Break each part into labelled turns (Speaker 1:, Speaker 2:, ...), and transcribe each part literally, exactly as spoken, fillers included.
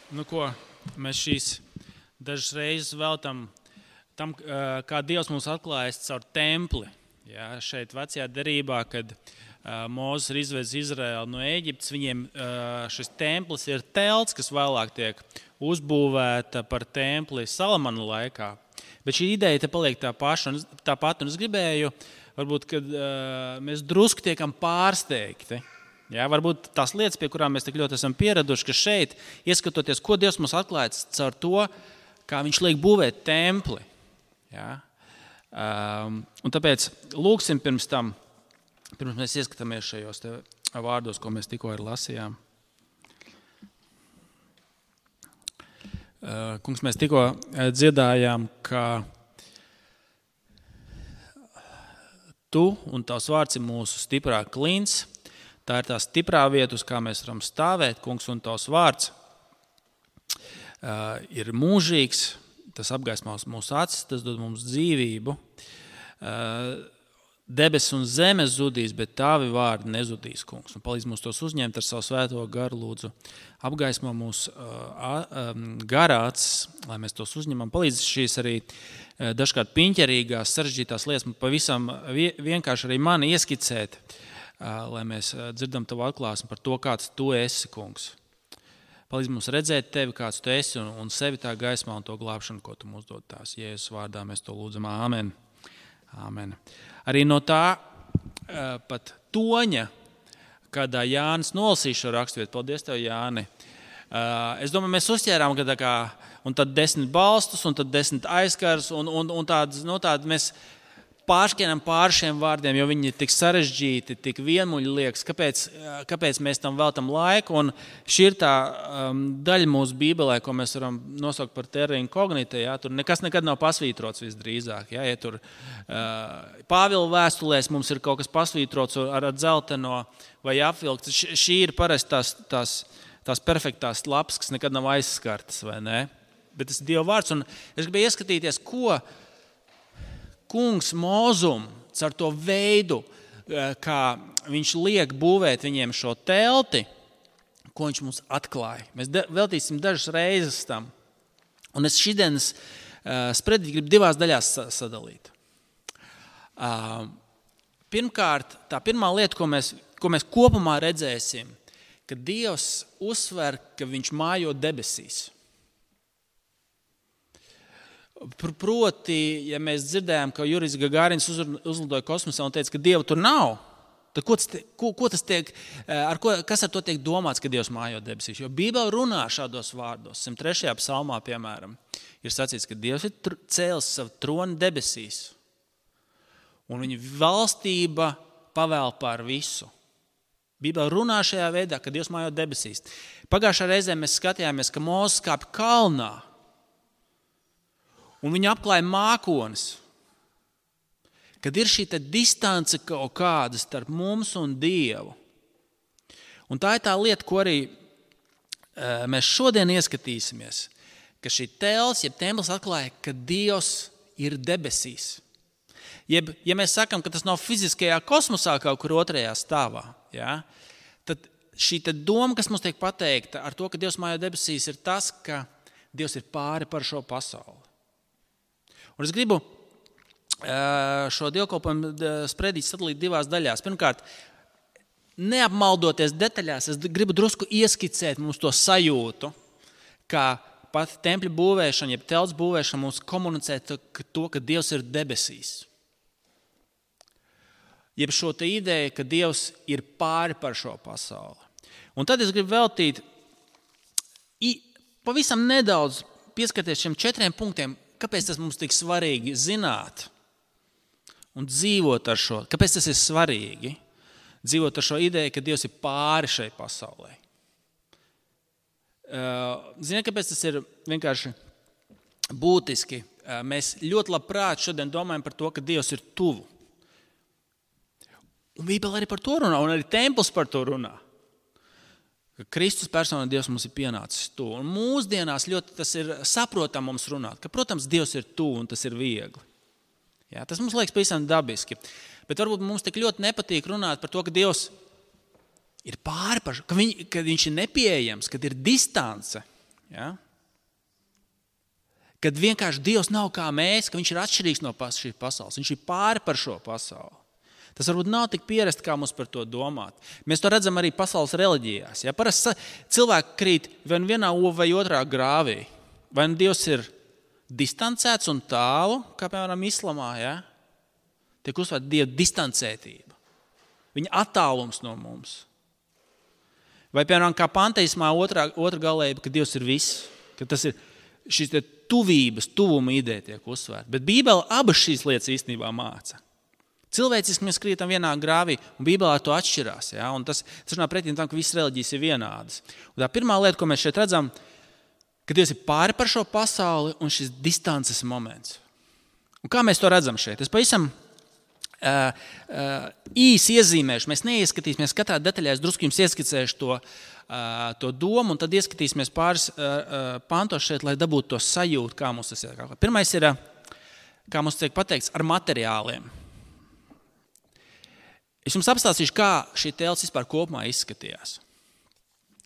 Speaker 1: Nu ko, mēs šīs dažas reizes veltam tam, kā Dievs mums atklājas caur templi. Ja, šeit vecajā derībā, kad Mūzes ir izvedis Izraēlu no Ēģiptes, viņiem šis templis ir telts, kas vēlāk tiek uzbūvēta par templi Salamana laikā. Bet šī ideja te paliek tā paša, un tā pat, un es gribēju, varbūt, kad mēs drusku tiekam pārsteigti. Ja, varbūt tās lietas, pie kurām mēs tik ļoti esam pieraduši, ka šeit, ieskatoties, ko Dievs mums atklājas caur to, kā viņš liek būvēt templi. Ja. Um, un tāpēc lūksim pirms tam, pirms mēs ieskatāmies šajos te vārdos, ko mēs tikko ir lasījām. Uh, kungs, mēs tikko dziedājām, ka tu un tavs vārds ir mūsu stiprā klints. Tā ir tā stiprā vieta, uz kā mēs varam stāvēt. Kungs, un tavs vārds uh, ir mūžīgs. Tas apgaismās mūsu acis, tas dod mums dzīvību. Uh, Debesis un zeme zudīs, bet tavi vārdi nezudīs, kungs. Un palīdz mums tos uzņemt ar savu svēto garu, lūdzu. Apgaismo mūsu uh, garā acis, lai mēs tos uzņemam. Palīdz šīs arī uh, dažkārt piņķerīgās, sarežģītās lietas, pavisam vienkārši arī mani ieskicēt, uh, lai mēs dzirdam tavu atklāsmi par to, kāds tu esi, kungs. Palīdz mums redzēt tevi, kāds tu esi, un, un sevi tā gaismā un to glābšanu, ko tu mums dod tās. Jēzus vārdā mēs to lūdzam. Āmen. Āmen. Arī no tā pat toņa, kādā Jānis nolasīja šo raksturvietu. Paldies tev, Jāni. Es domāju, mēs uzķērām, ka tā kā, un tad desmit balstus, un tad desmit aizkars, un, un, un tādas, no tādas mēs pāršķienam pār šiem vārdiem, jo viņi ir tik sarežģīti, tik vienmuļi liekas, kāpēc, kāpēc mēs tam veltam laiku. Un šī ir tā um, daļa mūsu Bībelē, ko mēs varam nosaukt par terra incognita. Ja? Tur nekas nekad nav pasvītrots visdrīzāk. Ja, ja tur uh, Pāvila vēstulēs mums ir kaut kas pasvītrots ar, ar dzelteno vai apvilkts, šī ir parasti tās, tās, tās perfektās lapas, kas nekad nav aizskartas, vai ne? Bet tas ir Dieva vārds, un es gribēju ieskatīties, ko Kungs Mozum ar to veidu, kā viņš liek būvēt viņiem šo telti, ko viņš mums atklāja. Mēs veltīsim dažas reizes tam. Un es šodienas spredi gribu divās daļās sadalīt. Pirmkārt, tā pirmā lieta, ko mēs, ko mēs kopumā redzēsim, ka Dievs uzsver, ka viņš mājo debesīs. Proti, ja mēs dzirdējām, ka Jurijs Gagarins uzlidoja kosmosā un teica, ka Dieva tur nav, tad ko tas, ko, ko tas tiek, ar ko, kas ar to tiek domāts, ka Dievs mājo debesīs? Jo Bībele runā šādos vārdos. simt trešajā psalmā, piemēram, ir sacīts, ka Dievs ir cēlis savu troni debesīs. Un viņa valstība pavēl pār visu. Bībele runā šajā veidā, ka Dievs mājo debesīs. Pagājušā reizē mēs skatījāmies, ka Mūzes kāpj kalnā. Un viņa apklāja mākonis, kad ir šī distance kaut kāda starp mums un Dievu. Un tā ir tā lieta, ko arī mēs šodien ieskatīsimies, ka šī tels, jeb templis atklāja, ka Dievs ir debesīs. Jeb, ja mēs sakam, ka tas nav fiziskajā kosmosā kaut kur otrajā stāvā, ja, tad šī doma, kas mums tiek pateikta ar to, ka Dievs mājo debesīs, ir tas, ka Dievs ir pāri par šo pasauli. Un es gribu šo dievkalpojumu spredīt sadalīt divās daļās. Pirmkārt, neapmaldoties detaļās, es gribu drusku ieskicēt mums to sajūtu, kā pat tempļa būvēšana, jeb telts būvēšana mums komunicē to, ka Dievs ir debesīs. Jeb šo te ideju, ka Dievs ir pāri par šo pasauli. Un tad es gribu veltīt pavisam nedaudz pieskarties šiem četriem punktiem, kāpēc tas mums tik svarīgi zināt un dzīvot ar šo? Kāpēc tas ir svarīgi dzīvot ar šo ideju, ka Dievs ir pāri šai pasaulē? Ziniet, kāpēc tas ir vienkārši būtiski? Mēs ļoti labprāt šodien domājam par to, ka Dievs ir tuvu. Un Bībele arī par to runā, un arī templis par to runā. Ka Kristus persona Dievs mums ir pienācis tuvu. Un mūsdienās ļoti tas ir saprotam mums runāt, ka, protams, Dievs ir tuvu un tas ir viegli. Jā, tas mums liekas pavisam dabiski. Bet varbūt mums tik ļoti nepatīk runāt par to, ka Dievs ir pāri par šo, ka, viņ, ka viņš ir nepieejams, kad ir distance. Ja? Kad vienkārši Dievs nav kā mēs, ka viņš ir atšķirīgs no šīs pasaules. Viņš ir pāri par šo pasauli. Tas varbūt nav tik pierast, kā mums par to domāt. Mēs to redzam arī pasaules reliģijās. Ja? Parasti cilvēki krīt vai vienā vai otrā grāvī. Vai nu Dievs ir distancēts un tālu, kā piemēram islamā, ja? Tiek uzsvērta Dieva distancētība. Viņa attālums no mums. Vai piemēram kā panteismā otrā, otra galējība, ka Dievs ir viss. Ka tas ir šīs tuvības, tuvuma ideja tiek uzsvērta. Bet Bībele abas šīs lietas īstenībā māca. Cilvēciski mēs krītam vienā grāvī, un Bībelē to atšķirās. Ja? Un tas, tas runā pretī tam, ka visas reliģijas ir vienādas. Un tā pirmā lieta, ko mēs šeit redzam, ka Dievs ir pāri par šo pasauli un šis distances moments. Un kā mēs to redzam šeit? Es pavisam uh, uh, īsi iezīmēšu. Mēs neieskatīsimies katrā detaļā, es drusku jums ieskicēšu to, uh, to domu, un tad ieskatīsimies pāris uh, uh, pantos šeit, lai dabūtu to sajūtu, kā mums tas ir. Pirmais ir, uh, kā mums tiek pateikts, ar materiāliem. Es jums apstāstīšu, kā šī telts vispār kopumā izskatījās.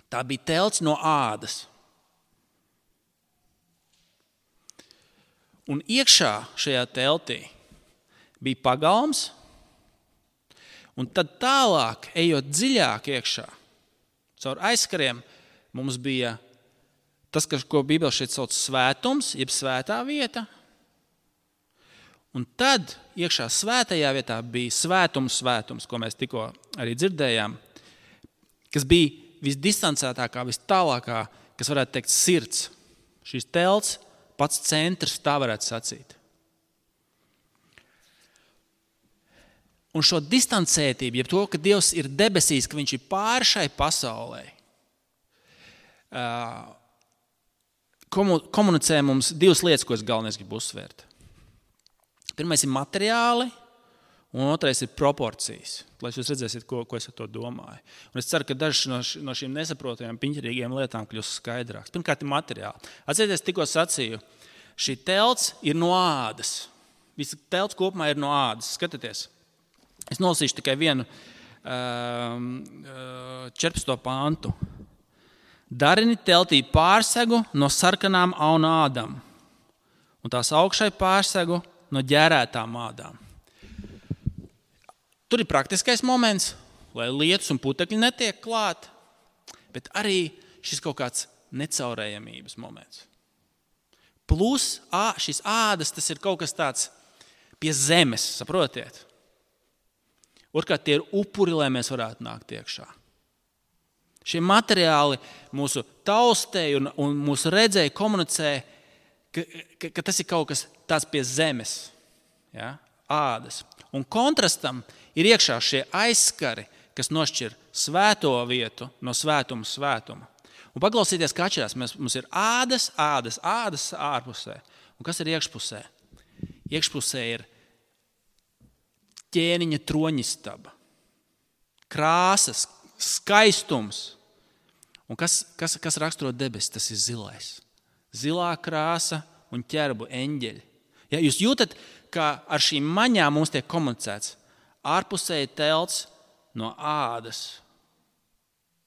Speaker 1: Tā bija telts no ādas. Un iekšā šajā teltī bija pagalms, un tad tālāk, ejot dziļāk iekšā, caur aizkariem, mums bija tas, ko Bībele šeit sauc svētums, jeb svētā vieta. Un tad iekšā svētajā vietā bija svētums svētums, ko mēs tikko arī dzirdējām, kas bija visdistancētākā, vistālākā, kas varētu teikt sirds. Šīs telts, pats centrs, tā varētu sacīt. Un šo distancētību, jeb to, ka Dievs ir debesīs, ka viņš ir pāri šai pasaulē, komunicē mums divas lietas, ko es galvenais gribu uzsvērt. Pirmais ir materiāli, un otrais ir proporcijas. Lai jūs redzēsiet, ko, ko es ar to domāju. Un es ceru, ka dažas no, š, no šīm nesaprotamajām, piņķerīgajām lietām kļūs skaidrāks. Pirmkārt ir materiāli. Atcerieties, tikko sacīju, šī telts ir no ādas. Visa telts kopumā ir no ādas. Skatieties, es nolasīšu tikai vienu um, četrpadsmito pantu. Darini teltī pārsegu no sarkanām auna ādām, un tās augšai pārsegu no ģērētām ādām. Tur ir praktiskais moments, lai lietus un putekļi netiek klāt, bet arī šis kaut kāds necaurējamības moments. Plus šis ādas, tas ir kaut kas tāds pie zemes, saprotiet? Otrkārt, tie ir upuri, lai mēs varētu nākt iekšā. Šie materiāli mūsu taustēji un, un mūsu redzēji komunicē, ka, ka, ka tas ir kaut kas tāds pie zemes, ja? Ādas. Un kontrastam ir iekšā šie aizskari, kas nošķir svēto vietu no svētuma svētuma. Un paklausieties, kā atšķirās. Mēs, mums ir ādas, ādas, ādas ārpusē. Un kas ir iekšpusē? Iekšpusē ir ķēniņa troņistaba, krāsas, skaistums. Un kas, kas, kas raksturo debesis? Tas ir zilais. Zilā krāsa un ķerbu eņģeļi. Ja jūs jūtat, ka ar šīm maņām mums tiek komunicēts, ārpusē ir telts no ādas,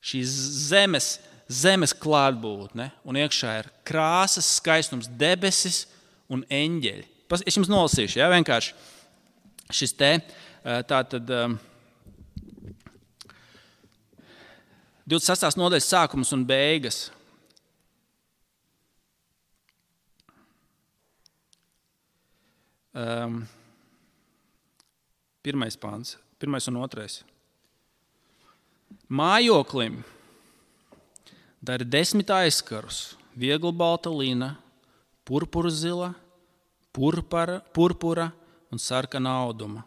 Speaker 1: šīs zemes, zemes klātbūtne, un iekšā ir krāsas, skaistums, debesis un eņģeļi. Es jums nolasīšu, ja, vienkārši šis te, tātad divdesmit sestās nodaļas sākums un beigas. Um, pirmais pāns, pirmais un otrais. Mājoklim dari desmit aizkarus, viegli balta lina, purpura zila, purpura, purpura un sarkana auduma.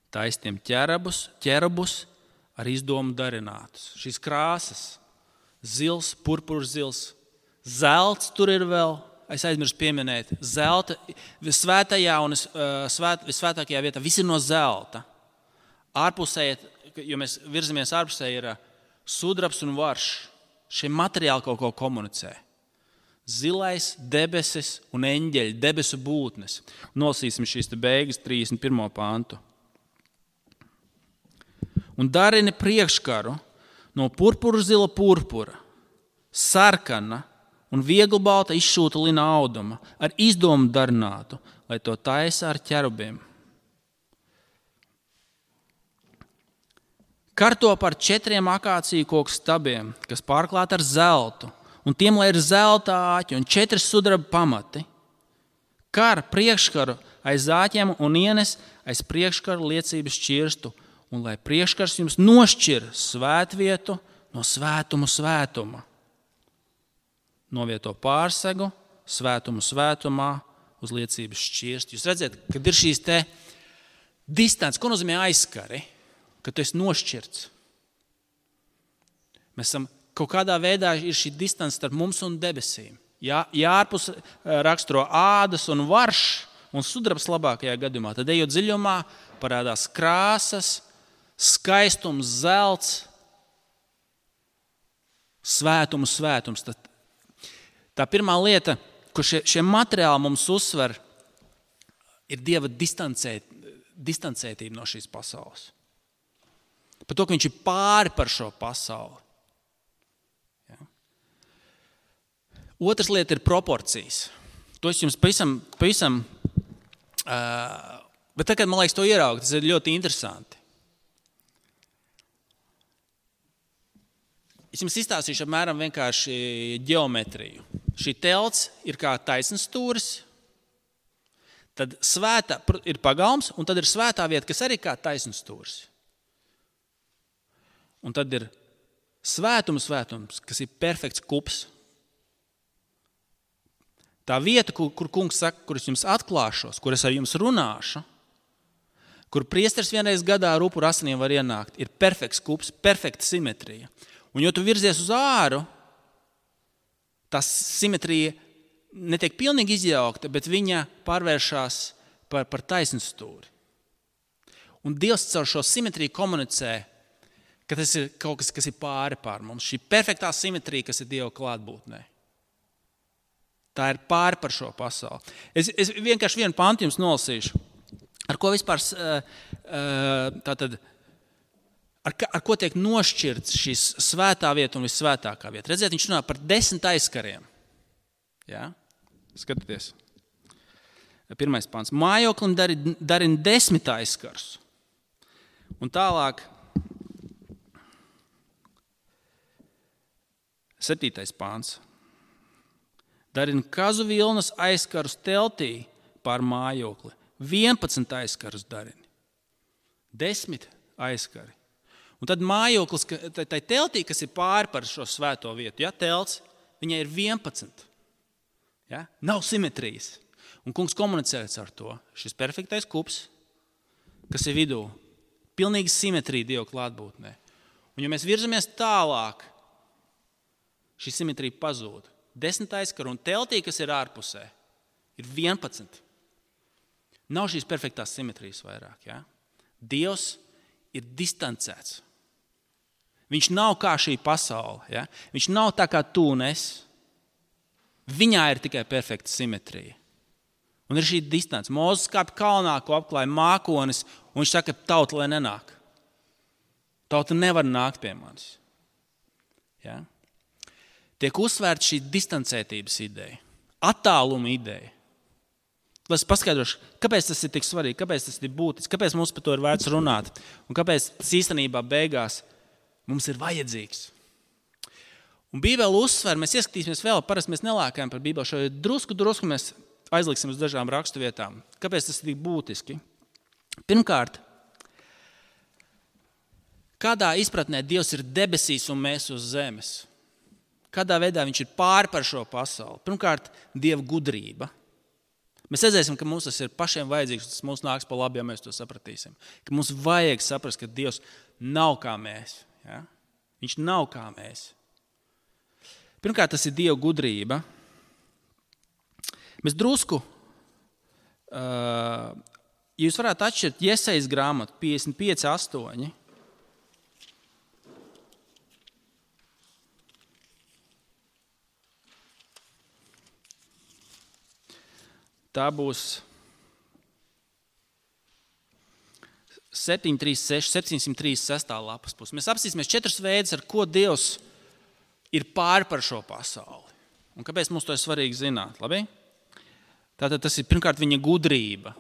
Speaker 1: Taisniem ķerabus, ķerabus ar izdomu darinātus. Šīs krāsas, zils, purpura zils, zelts tur ir vēl. Es aizmirsu pieminēt, zelta, svētajā un svēt, visvētākajā vietā, viss ir no zelta. Ārpusē, jo mēs virzamies ārpusē, ir sudrabs un varš. Šie materiāli kaut ko komunicē. Zilais, debesis un eņģeļi, debesu būtnes. Nolasīsim šīs te beigas trīsdesmit pirmo pantu. Un darini priekškaru no purpura zila purpura, sarkana un vieglbalta izšūta lina auduma, ar izdomu darinātu, lai to taisa ar ķerubiem. Karto par četriem akāciju koku stabiem, kas pārklāti ar zeltu, un tiem, lai ir zelta āķi un četri sudraba pamati. Kar priekškaru aiz āķiem un ienes aiz priekškaru liecības šķirstu, un lai priekškars jums nošķir svētvietu no svētumu svētuma. Novieto pārsegu svētumu svētumā uz liecības šķirstu. Jūs redzat, kad ir šīs te distances, ko nozīmē aizskari, kad tu esi nošķirts. Mēs esam kaut kādā veidā ir šī distance starp mums un debesīm. Jā, jārpus raksturo ādas un varš un sudrabs labākajā gadījumā. Tad ejot dziļumā parādās krāsas, skaistums, zelts, svētumu svētums. Tad tā pirmā lieta, ko šie, šie materiāli mums uzsver, ir Dieva distancēt, distancētība no šīs pasaules. Par to, ka viņš ir pāri par šo pasauli. Ja? Otrs lieta ir proporcijas. To es jums pavisam, pavisam uh, bet tagad, man liekas, to ieraugt, tas ir ļoti interesanti. Es jums izstāstīšu apmēram vienkārši ģeometriju. Šī telts ir kā taisns stūris, tad svētā ir pagalms, un tad ir svētā vieta, kas arī kā taisns stūris. Un tad ir svētums, svētums, kas ir perfekts kups. Tā vieta, kur, kur kungs saka, kur es jums atklāšos, kur es ar jums runāšu, kur priesteris vienreiz gadā ar upuru asinīm var ienākt, ir perfekts kups, perfekta simetrija. Un jo tu virzies uz āru, tā simetrija netiek pilnīgi izjaukta, bet viņa pārvēršās par, par taisnu stūri. Un Dievs caur šo simetriju komunicē, ka tas ir kaut kas, kas ir pāri pār mums. Šī perfektā simetrija, kas ir Dieva klātbūtnē. Tā ir pāri par šo pasauli. Es, es vienkārši vienu pantu jums nolasīšu. Ar ko vispār tātad, ar, ar ko tiek nošķirts šīs svētā vieta un vissvētākā vieta. Redziet, viņš runā par desmit aizkariem. Ja? Skatieties. Pirmais pants. Mājoklim darina desmit aizkarus. Un tālāk septītais pāns. Darina kazu vilnas aizkarus teltī pār mājokli. vienpadsmit aizkarus darina. desmit aizkari. Un tad mājoklis, tai teltī, kas ir pāri par šo svēto vietu, ja, telts, viņai ir vienpadsmit. Ja? Nav simetrijas. Un kungs komunicē ar to. Šis perfektais kups, kas ir vidū, pilnīgi simetrija Dieva klātbūtnē. Un ja mēs virzamies tālāk, šī simetrija pazūd. Desmit aizkaru un teltī, kas ir ārpusē, ir vienpadsmit. Nav šīs perfektās simetrijas vairāk. Ja? Dievs ir distancēts. Viņš nav kā šī pasaule. Ja? Viņš nav tā kā tu un es. Viņā ir tikai perfekta simetrija. Un ir šī distance. Mūzes kāp kalnā, ko apklāja mākonis, un viņš saka, tauta, lai nenāk. Tauta nevar nākt pie manis. Ja? Tiek uzsvērta šī distancētības ideja, attāluma ideja. Lai es paskaidrošu, kāpēc tas ir tik svarīgi, kāpēc tas ir būtisks, kāpēc mums par to ir vērts runāt un kāpēc tas īstenībā beigās mums ir vajadzīgs. Un Bībele uzsver, mēs ieskatīsimies vēl, parasti mēs nelākājam par Bībeli, šo drusku, drusku mēs aizliksim uz dažām rakstu vietām. Kāpēc tas ir tik būtiski? Pirmkārt, kādā izpratnē Dievs ir debesīs un mēs uz zemes? Kādā veidā viņš ir pāri par šo pasauli? Pirmkārt, Dieva gudrība. Mēs redzēsim, ka mums tas ir pašiem vajadzīgs, tas mums nāks pa labi, ja mēs to sapratīsim. Ka mums vajag saprast, ka Dievs nav kā mēs. Ja? Viņš nav kā mēs. Pirmkārt, tas ir Dieva gudrība. Mēs drusku, uh, ja jūs varētu atšķirt Jesajas grāmatu piecdesmit pieci astoņi, tā būs septiņsimt trīsdesmit seši lapas puse. Mēs apsīsimies četrus veidus, ar ko Dievs ir pāri par šo pasauli. Un kāpēc mums to ir svarīgi zināt? Labi? Tātad tas ir pirmkārt viņa gudrība.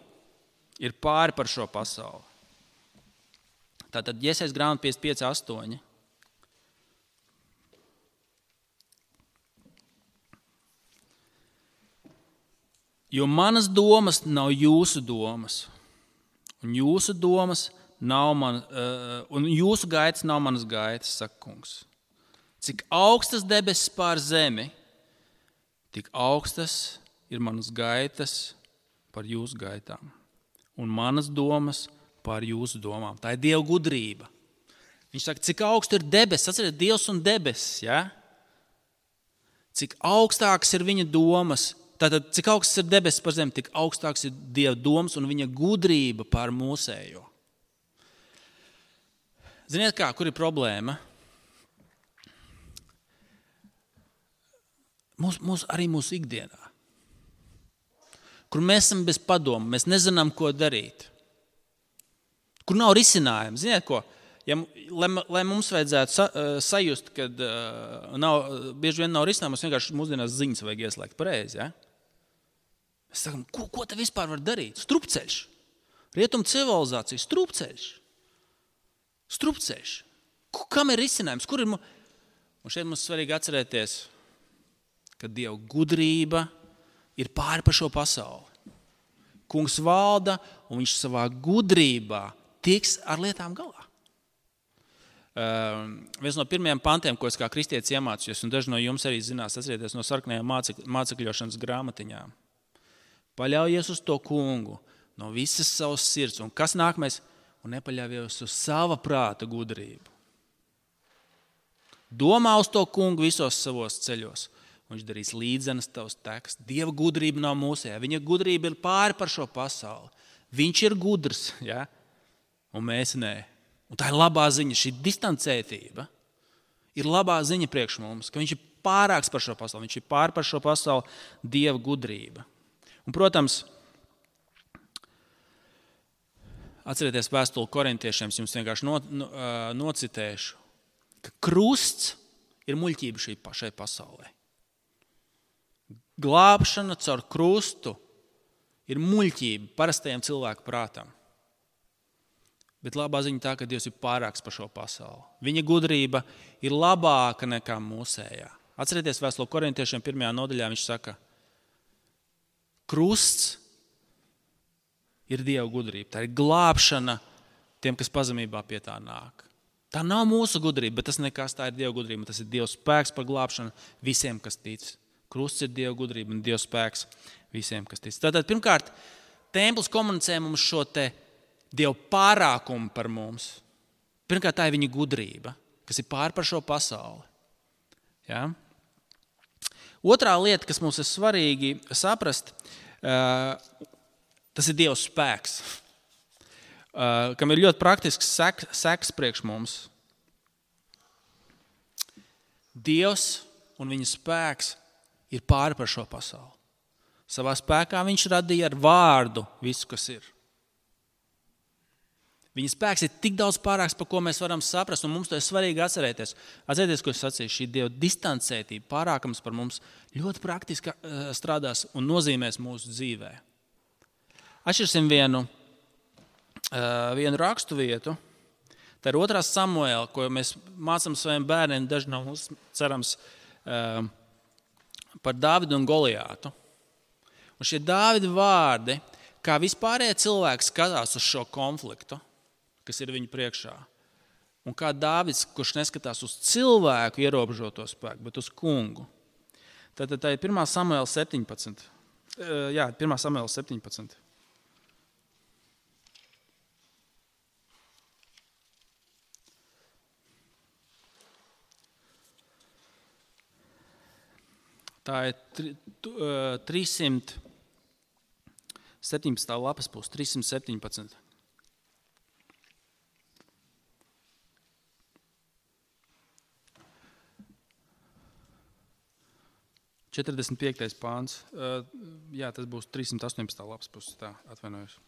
Speaker 1: Ir pāri par šo pasauli. Tātad Jesajas grāmata piecdesmit pieci astoņi. Jo manas domas nav jūsu domas, un jūsu domas nav man, uh, un jūsu gaitas nav manas gaitas, saka kungs. Cik augstas debesis pār zemi, tik augstas ir manas gaitas par jūsu gaitām, un manas domas par jūsu domām. Tā ir Dieva gudrība. Viņš saka, cik augstu ir debesis, atceriet, Dievs un debesis, ja? Cik augstākas ir viņa domas. Tātad, cik augsts ir debesis par zemi, tik augstāks ir Dieva domas un viņa gudrība pār mūsējo. Ziniet kā, kur ir problēma? Mūs, mūs, arī mūsu ikdienā. Kur mēs esam bez padomu, mēs nezinām, ko darīt. Kur nav risinājumu. Ziniet ko? Ja, lai, lai mums vajadzētu sa, sajust, kad uh, nav, bieži vien nav risinājumu, mums vienkārši mūsdienās ziņas vajag ieslēgt pareizi, ja? Mēs sakām, ko, ko te vispār var darīt? Strupceļš. Rietumu civilizācija, strupceļš. Strupceļš. Kam ir risinājums? Kur ir mu... Un šeit mums svarīgi atcerēties, ka Dieva gudrība ir pāri par šo pasauli. Kungs valda, un viņš savā gudrībā tiks ar lietām galā. Uh, viens no pirmajiem pantiem, ko es kā kristietis iemācījos, un daži no jums arī zinās, atcerieties no sarkanajām mācek, mācekļošanas grāmatiņām. Paļaujies uz to kungu no visas savas sirds. Un kas nākamais? Un nepaļaujies uz sava prāta gudrību. Domā uz to kungu visos savos ceļos. Un viņš darīs līdzenas tavs teks. Dieva gudrība nav mūsējā. Viņa gudrība ir pāri par šo pasauli. Viņš ir gudrs, ja? Un mēs nē. Un tā ir labā ziņa. Šī distancētība ir labā ziņa priekš mums, ka viņš ir pārāks par šo pasauli. Viņš ir pāri par šo pasauli Dieva gudrība. Un, protams, atcerieties vēstuli korintiešiem, es jums vienkārši no, no, nocitēšu, ka krusts ir muļķība šī, šai pasaulē. Glābšana caur krustu ir muļķība parastajam cilvēku prātam. Bet labā ziņa tā, ka Dievs ir pārāks par šo pasauli. Viņa gudrība ir labāka nekā mūsējā. Atcerieties vēstuli korintiešiem pirmajā nodaļā, viņš saka, krusts ir Dieva gudrība. Tā ir glābšana tiem, kas pazemībā pie tā nāk. Tā nav mūsu gudrība, bet tas nekas, tā ir Dieva gudrība. Tas ir Dieva spēks par glābšanu visiem, kas tic. Krusts ir Dieva gudrība un Dieva spēks visiem, kas tic. Tātad, pirmkārt, templis komunicē mums šo te Dieva pārākumu par mums. Pirmkārt, tā ir viņa gudrība, kas ir pār par šo pasauli. Ja? Otrā lieta, kas mums ir svarīgi saprast, uh, tas ir Dieva spēks, uh, kam ir ļoti praktisks sek, seks priekš mums. Dievs un viņa spēks ir pāri par šo pasauli. Savā spēkā viņš radīja ar vārdu visu, kas ir. Viņa spēks ir tik daudz pārāks, par ko mēs varam saprast, un mums to ir svarīgi atcerēties. Atcerieties, ko es sacīju, šī Dieva distancētība, pārākums par mums ļoti praktiski strādās un nozīmēs mūsu dzīvē. Atšķirsim vienu, vienu rakstu vietu. Tā ir otrā Samuēla, ko mēs mācām saviem bērniem, daži no mums cerams par Dāvidu un Goliātu. Un šie Dāvida vārdi, kā vispārējie cilvēki skatās uz šo konfliktu, kas ir viņu priekšā. Un kā Dāvids, kurš neskatās uz cilvēku ierobežoto spēku, bet uz kungu. Tātad tā ir pirmā Samuēla septiņpadsmit. Jā, pirmā Samuēla septiņpadsmit. Tā ir trīssimt septiņpadsmitā lapas puse, trīssimt septiņpadsmit. četrdesmit piektais pāns. Jā, tas būs trīssimt astoņpadsmitā lapas puse, tā atvainojos.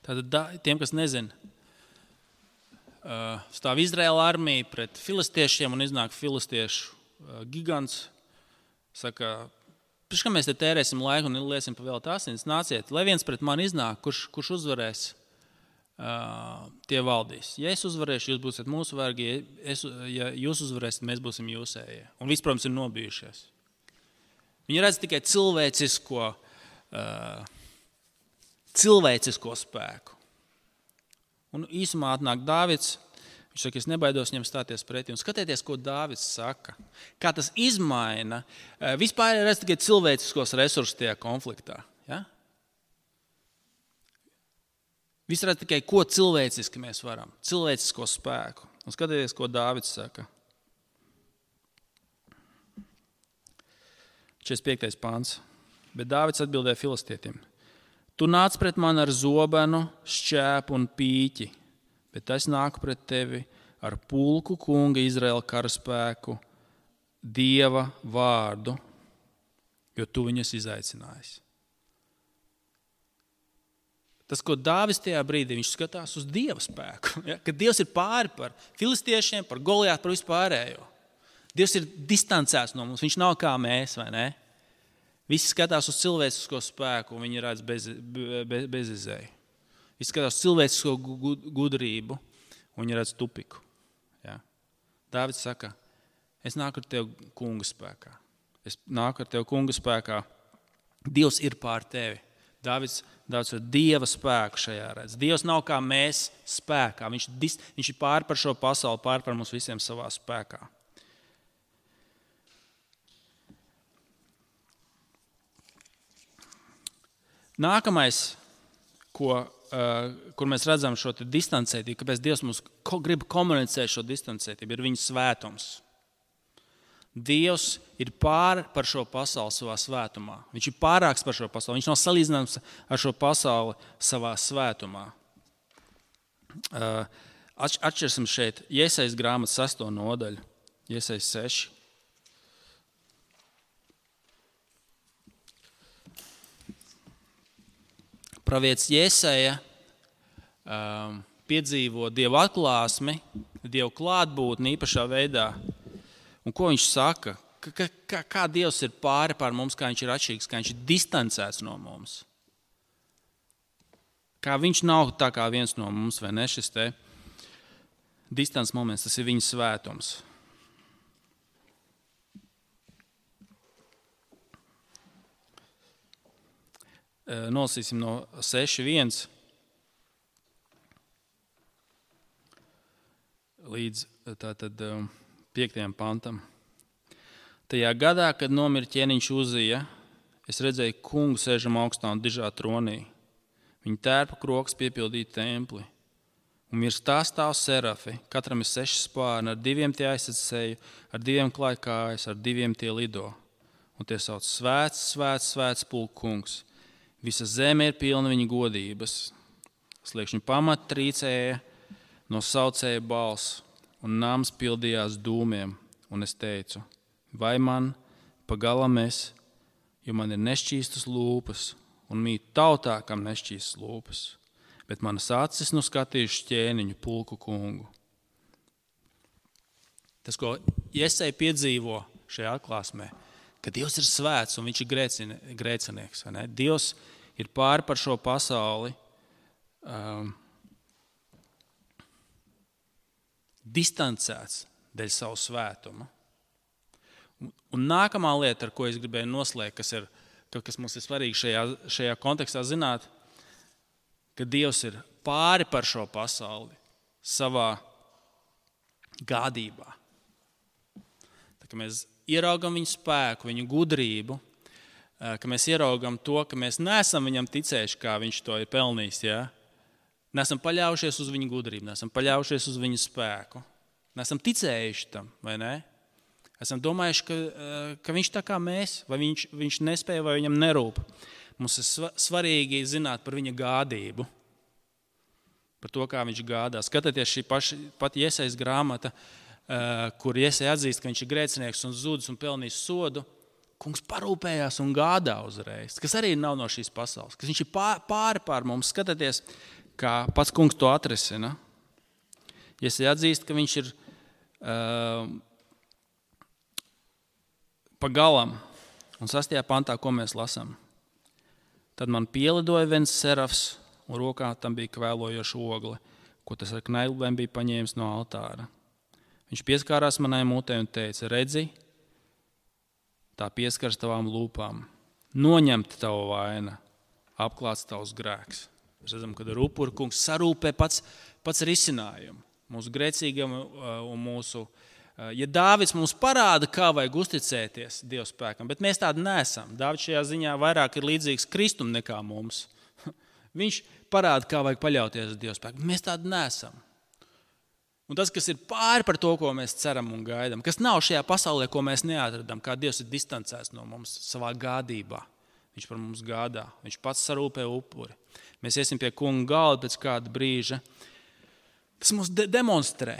Speaker 1: Tātad tiem, kas nezina, stāv Izraēla armija pret filistiešiem un iznāk filistiešu gigants. Saka, pirms kā mēs te tērēsim laiku un liesim pa vēl asins, nāciet, lai viens pret mani iznāk, kurš, kurš uzvarēs, uh, tie valdīs. Ja es uzvarēšu, jūs būsiet mūsu vergi, ja, es, ja jūs uzvarēsiet, mēs būsim jūsējie. Un viss, protams, ir nobijušies. Viņi redz tikai cilvēcisko, uh, cilvēcisko spēku. Un īsumā atnāk Dāvids. Viņš saka, es nebaidos viņam stāties pretī. Un skatieties, ko Dāvids saka. Kā tas izmaina. Vispār ir redz tikai cilvēciskos resursus tajā konfliktā. Ja? Viss redz tikai, ko cilvēciski mēs varam. Cilvēcisko spēku. Un skatieties, ko Dāvids saka. četrdesmit piektais pāns. Bet Dāvids atbildēja filistietim. Tu nāc pret mani ar zobenu, šķēpu un pīķi. Bet es nāku pret tevi ar pulku kunga Izraēla karaspēku, Dieva vārdu, jo tu viņus izaicinājis. Tas, ko Dāvids tajā brīdī, viņš skatās uz Dieva spēku. Ja? Kad Dievs ir pāri par filistiešiem, par Goliātu, par vispārējo. Dievs ir distancēts no mums, viņš nav kā mēs, vai ne? Visi skatās uz cilvēcisko spēku, un viņi redz bez, bez, bezizēju. Viņš skatās cilvēcisko gudrību, un viņi redz tupiku. Ja? Dāvids saka, es nāku ar tevi kunga spēkā. Es nāku ar tevi kunga spēkā. Dievs ir pār tevi. Dāvids, Dāvids ar Dieva spēku šajā redz. Dievs nav kā mēs spēkā. Viņš, viņš ir pār par šo pasauli, pār par mums visiem savā spēkā. Nākamais, ko Uh, kur mēs redzam šo distancētību, kāpēc Dievs mums ko, grib komunicēt šo distancētību, ir viņa svētums. Dievs ir pār par šo pasauli savā svētumā. Viņš ir pārāks par šo pasauli. Viņš nav salīdzināms ar šo pasauli savā svētumā. Uh, atšķirsim šeit Jesajas grāmatas sesto nodaļu. Jesajas seši. Pravietis Jesaja um, piedzīvo Dieva atklāsmi, Dieva klātbūtni īpašā veidā. Un ko viņš saka? Kā, kā, kā Dievs ir pāri pār mums, kā viņš ir atšķirīgs, kā viņš ir distancēts no mums. Kā viņš nav tā kā viens no mums, vai ne? Šis te distants moments, tas ir viņa svētums. Nolasīsim no seši viens līdz tātad piektajam pantam. Tajā gadā, kad nomira ķēniņš Uzija, es redzēju kungu sēžam augstā un dižā tronī. Viņa tērpa kroks piepildīja templi. Un virs tā stāv serafi, katram ir seši spārni, ar diviem tie aizsec seju, ar diviem klāj kājas, ar diviem tie lido. Un tie sauc svēts, svēts, svēts pulku kungs. Visa zeme ir pilna viņa godības. Sliekšņu pamati trīcēja, no saucēja balss, un nams pildījās dūmiem. Un es teicu, vai man pagalam es, jo man ir nešķīstas lūpas, un mīt tautā, kam nešķīstas lūpas, bet manas acis nu skatījuši ķēniņu pulku kungu. Tas, ko Jesaja piedzīvo šajā atklāsmē, ka Dievs ir svēts un viņš ir grēcinieks. Dievs ir pāri par šo pasauli um, distancēts dēļ savu svētumu. Un, un nākamā lieta, ar ko es gribēju noslēgt, kas, ir, kas mums ir svarīgi šajā, šajā kontekstā zināt, ka Dievs ir pāri par šo pasauli savā gādībā. Tā kā mēs ieraugam viņu spēku, viņu gudrību, ka mēs ieraugam to, ka mēs neesam viņam ticējuši, kā viņš to ir pelnījis. Ja? Nesam paļaujušies uz viņu gudrību, nesam paļaujušies uz viņu spēku. Nesam ticējuši tam, vai ne? Esam domājuši, ka, ka viņš tā kā mēs, vai viņš, viņš nespēja, vai viņam nerūp. Mums ir svarīgi zināt par viņa gādību, par to, kā viņš gādā. Skatieties šī paša, pat Jesajas grāmata, kur Jesaja atzīst, ka viņš ir grēcinieks un zudis un pelnījis sodu. Kungs parūpējās un gādā uzreiz, kas arī nav no šīs pasaules, kas viņš ir pāri pār mums. Skatieties, kā pats kungs to atrisina. Iesai atzīst, ka viņš ir uh, pa galam. Un sastajā pantā, ko mēs lasām. Tad man pielidoja viens serafs, un rokā tam bija kvēlojoša ogle, ko tas ar knailbēm bija paņēmis no altāra. Viņš pieskārās manai mutei un teica, redzi, tā pieskars tavām lūpām. Noņemta tava vaina, apklāts tavs grēks. Mēs redzam, kad ar upuru kungs sarūpē pats, pats risinājumu. Mūsu grēcīgam un mūsu... Ja Dāvids mums parāda, kā vajag uzticēties Dieva spēkam, bet mēs tādi neesam. Dāvids šajā ziņā vairāk ir līdzīgs Kristum nekā mums. Viņš parāda, kā vajag paļauties uz Dieva spēku, bet mēs tādi neesam. Un tas, kas ir pāri par to, ko mēs ceram un gaidām, kas nav šajā pasaulē, ko mēs neatradam, kā Dievs ir distancēts no mums savā gādībā. Viņš par mums gādā, viņš pats sarūpē upuri. Mēs iesim pie kunga galda pēc kāda brīža. Tas mums de- demonstrē,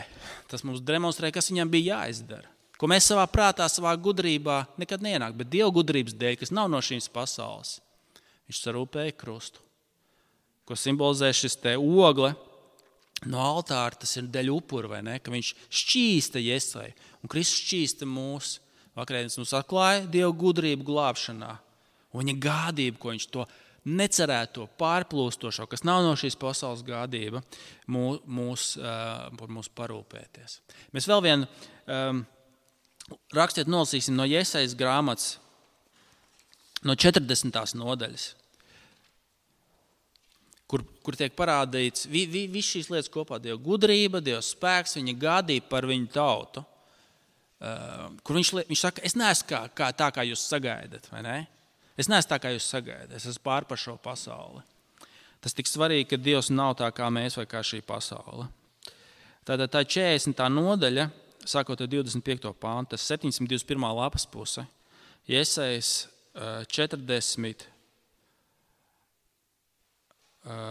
Speaker 1: tas mums demonstrē, kas viņam bija jāizdara. Ko mēs savā prātā, savā gudrībā nekad neienāk, bet Dieva gudrības dēļ, kas nav no šīs pasaules, viņš sarūpēja krustu. Ko simbolizē šis te ogle no altāra, tas ir deļ upuru, vai ne? Ka viņš šķīsta Iesai, un Kristus šķīsta mūs. Vakarēdienas mums atklāja Dieva gudrību glābšanā, un viņa gādību, ko viņš to necerēto, pārplūstošo, kas nav no šīs pasaules gādība, mūs, mūs, par mūs parūpēties. Mēs vēl vienu um, rakstiet nolasīsim no Jesajas grāmatas, no četrdesmitās nodaļas, kur, kur tiek parādīts vi, vi, viss šīs lietas kopā, Dieva gudrība, Dieva spēks, viņa gādība par viņu tautu, uh, kur viņš, viņš saka, es neesmu kā, kā, tā, kā jūs sagaidat, vai ne? Es neesmu tā, kā jūs sagaidat, es esmu pār par šo pasauli. Tas tik svarīgi, ka Dievs nav tā, kā mēs vai kā šī pasaule. Tātad tā četrdesmitā nodaļa, sākot ar divdesmit piekto pāntu, tas septiņsimt divdesmit pirmā lapas puse, Jesajas četrdesmit,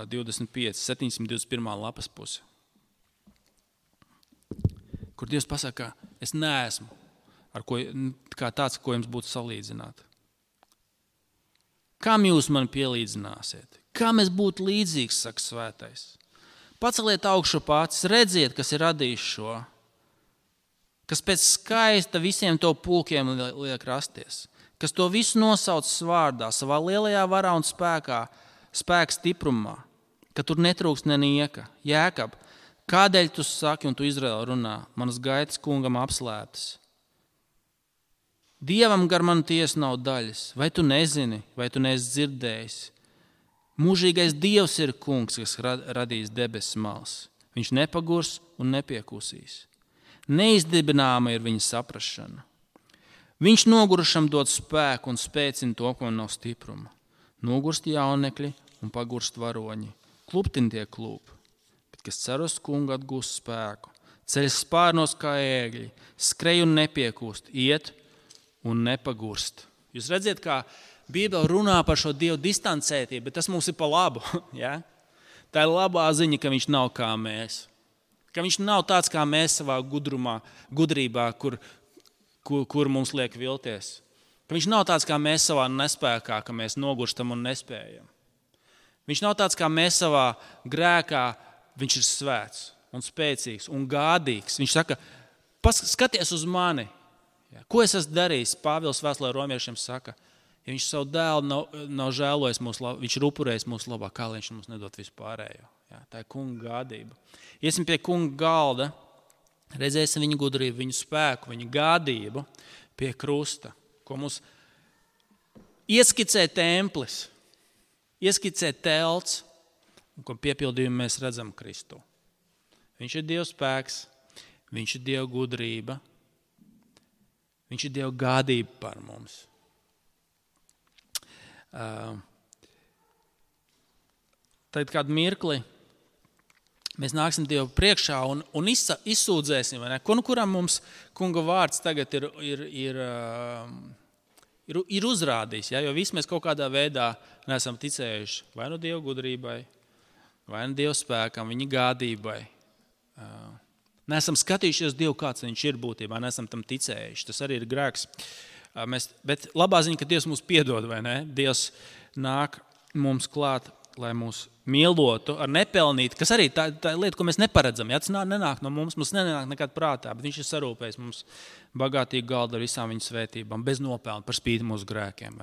Speaker 1: divdesmit pieci, septiņsimt divdesmit pirmā lapas puse, kur Dievs pasaka, es neesmu ar ko, kā tāds, ko jums būtu salīdzināt. Kam jūs man pielīdzināsiet? Kam es būtu līdzīgs, saka svētais? Paceliet augšu pats, redziet, kas ir radījis šo, kas pēc skaista visiem to pulkiem liek rasties, kas to visu nosauc vārdā, savā lielajā varā un spēkā, spēka stiprumā, ka tur netrūks nenieka. Jēkab, kādēļ tu saki un tu Izraēla runā, manas gaitas kungam apslēptas? Dievam gar manu tiesu nav daļas, vai tu nezini, vai tu neesi dzirdējis? Mūžīgais Dievs ir kungs, kas radījis debesis mals. Viņš nepagurs un nepiekusīs. Neizdibināma ir viņa saprašana. Viņš nogurušam dod spēku un spēcina to, ko nav stipruma. Nogurst jaunekļi un pagurst varoņi. Kluptin tie klūp, bet kas cer uz kungu atgūst spēku. Ceļas spārnos kā ēgļi, skrej un nepiekūst, iet un nepagurst. Jūs redziet, kā Bībele runā par šo Dievu distancētību, bet tas mums ir pa labu. Ja? Tā ir labā ziņa, ka viņš nav kā mēs. Ka viņš nav tāds kā mēs savā gudrumā, gudrībā, kur, kur, kur mums liek vilties. Ka viņš nav tāds kā mēs savā nespēkā, ka mēs nogurstam un nespējam. Viņš nav tāds kā mēs savā grēkā, viņš ir svēts un spēcīgs un gādīgs. Viņš saka, skaties uz mani. Ja, ko es esmu darījis? Pāvils vēstulē romiešiem saka, ja viņš savu dēlu nav, nav žēlojis mūsu labā, viņš ir upurējis mūsu labā, kā viņš mums nedod vispārējo. Ja, tā ir kunga gādība. Iesim pie kunga galda, redzēsim viņa gudrību, viņa spēku, viņa gādību pie krusta, ko mums ieskicē templis, ieskicē telts, un ko piepildījumu mēs redzam Kristu. Viņš ir Dieva spēks, viņš ir Dieva gudrība, viņš ir Dieva gādība par mums. Uh, tad kādu mirkli mēs nāksim Dievu priekšā un, un izsa, izsūdzēsim, vai ne? Ko, nu, kuram mums kunga vārds tagad ir, ir, ir, uh, ir, ir uzrādījis, ja? Jo visi mēs kaut kādā veidā neesam ticējuši vai nu Dieva gudrībai, vai nu Dieva spēkam, viņa gādībai. Uh, neesam skatījušies Dievu, kāds viņš ir būtībā, neesam tam ticējuši. Tas arī ir grēks. Uh, mēs, bet labā ziņa, ka Dievs mūs piedod, vai ne? Dievs nāk mums klāt, lai mūs mīlotu, ar nepelnītu, kas arī tā, tā lieta, ko mēs neparedzam. Ja, tas nenāk no mums, mums nenāk nekad prātā, bet viņš ir sarūpējis mums bagātīgu galdu ar visām viņa svētībām, bez nopelna, par spīti mūsu grēkiem.